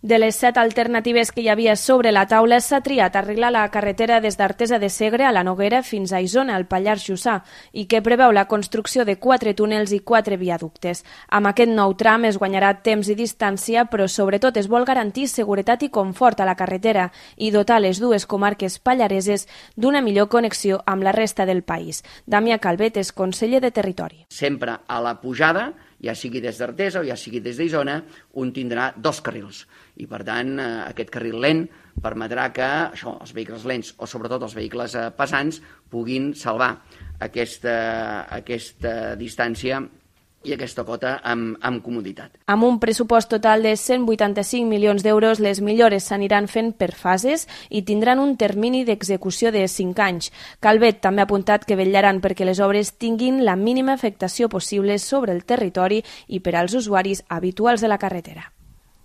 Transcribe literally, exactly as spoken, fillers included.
De les set alternatives que hi havia sobre la taula, s'ha triat arreglar la carretera des d'Artesa de Segre a la Noguera fins a Isona, al Pallars Jussà, i que preveu la construcció de quatre túnels i quatre viaductes. Amb aquest nou tram es guanyarà temps i distància, però sobretot es vol garantir seguretat i confort a la carretera i dotar les dues comarques pallareses d'una millor connexió amb la resta del país. Damià Calvet és conseller de Territori. Sempre a la pujada, ja sigui des d'Artesa o ja sigui des d'Isona, un tindrà dos carrils. I, per tant, aquest carril lent permetrà que això, els vehicles lents o sobretot els vehicles pesants puguin salvar aquesta, aquesta distància i aquesta cota amb, amb comoditat. Amb un pressupost total de cent vuitanta-cinc milions d'euros, les millores s'aniran fent per fases i tindran un termini d'execució de cinc anys. Calvet també ha apuntat que vetllaran perquè les obres tinguin la mínima afectació possible sobre el territori i per als usuaris habituals de la carretera.